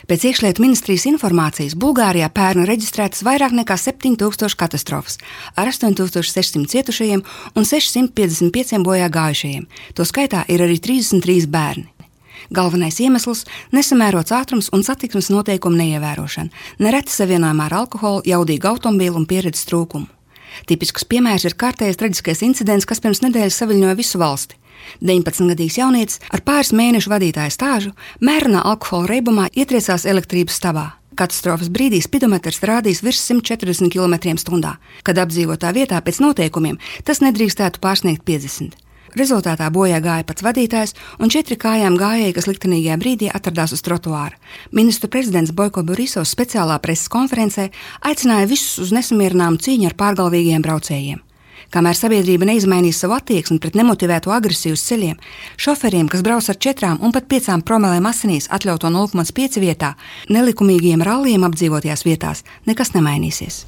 Pēc iekšlietu ministrijas informācijas Bulgārijā pērn reģistrētas vairāk nekā 7000 katastrofas ar 8600 cietušajiem un 655 bojā gājušajiem. To skaitā ir arī 33 bērni. Galvenais iemesls – nesamērots ātrums un satiksmes noteikumu neievērošana, nereti savienojumā ar alkoholu, jaudīgu automobīlu un pieredzes trūkumu. Tipisks piemērs ir kārtējais traģiskais incidents, kas pirms nedēļas saviļņoja visu valsti. 19-gadīgs jaunietis ar pāris mēnešu vadītāja stāžu mērenā alkohola reibumā ietriecās elektrības stāvā. Katastrofas brīdī spidometrs rādīs virs 140 km/h, kad apdzīvotā vietā pēc noteikumiem tas nedrīkstētu pārsniegt 50. Rezultātā bojā gāja pats vadītājs un 4 kājām gājēji, kas liktenīgajā brīdī atradās uz trotuāra. Ministru prezidents Boiko Borisovs speciālā preses konferencē aicināja visus uz nesamierināmu cīņu ar pārgalvīgiem braucējiem. Kamēr sabiedrība neizmainīs savu attieksmi pret nemotivētu agresiju uz ceļiem, šoferiem, kas brauc ar 4 un pat 5 promilēm asinīs atļauto 0,5 vietā, nelikumīgiem ralliem apdzīvotajās vietās nekas nemainīsies.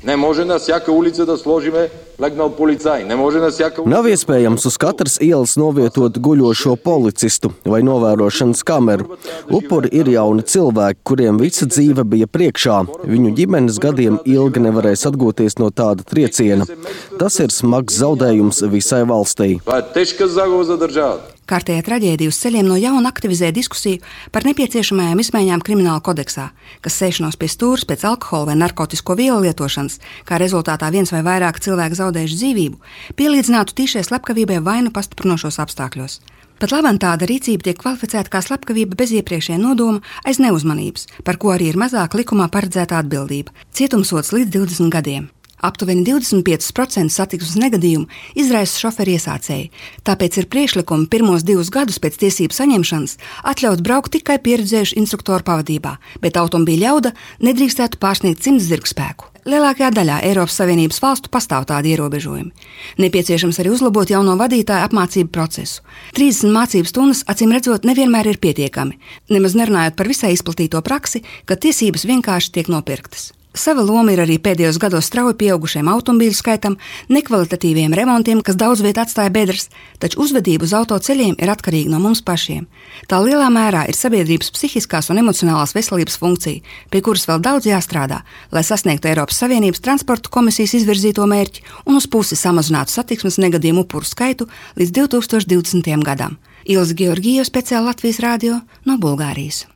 Nav iespējams uz katras ielas novietot guļošo policistu vai novērošanas kameru. Upuri ir jauni cilvēki, kuriem visa dzīve bija priekšā. Viņu ģimenes gadiem ilgi nevarēs atgūties no tāda trieciena. Tas ir smags zaudējums visai valstī. Kārtējā traģēdija uz ceļiem no jauna aktivizē diskusiju par nepieciešamajām izmaiņām krimināla kodeksā, kas sēšanos pie stūres pēc alkohola vai narkotisko vielu lietošanas, kā rezultātā viens vai vairāk cilvēku zaudējuši dzīvību, pielīdzinātu tīšai slepkavībai vainu pastiprinošos apstākļos. Pat labam tāda rīcība tiek kvalificēta kā slepkavība bez iepriekšējā nodoma aiz neuzmanības, par ko arī ir mazāk likumā paredzēta atbildība – cietumsods līdz 20 gadiem. Aptuveni 25% satiksmes negadījumu izraisa šoferi iesācēji, tāpēc ir priekšlikumi pirmos 2 gadus pēc tiesību saņemšanas atļaut braukt tikai pieredzējušu instruktoru pavadībā, bet automobīļa jauda nedrīkstētu pārsniegt 100 zirgspēku. Lielākajā daļā Eiropas Savienības valstu pastāv tādi ierobežojumi. Nepieciešams arī uzlabot jauno vadītāju apmācību procesu. 30 mācību stundas, acīm redzot, nevienmēr ir pietiekami, nemaz nerunājot par visai izplatīto praksi, ka tiesības vienkārši tiek nopirktas. Sava loma ir arī pēdējos gados strauji pieaugušiem automobīļu skaitam, nekvalitatīviem remontiem, kas daudz viet atstāja bedres, taču uzvedība uz autoceļiem ir atkarīga no mums pašiem. Tā lielā mērā ir sabiedrības psihiskās un emocionālās veselības funkcija, pie kuras vēl daudz jāstrādā, lai sasniegtu Eiropas Savienības transporta komisijas izvirzīto mērķi un uz pusi samazinātu satiksmes negadījumu upuru skaitu līdz 2020. gadam. Ilze Georgijeva, speciāli Latvijas radio no Bulgārijas.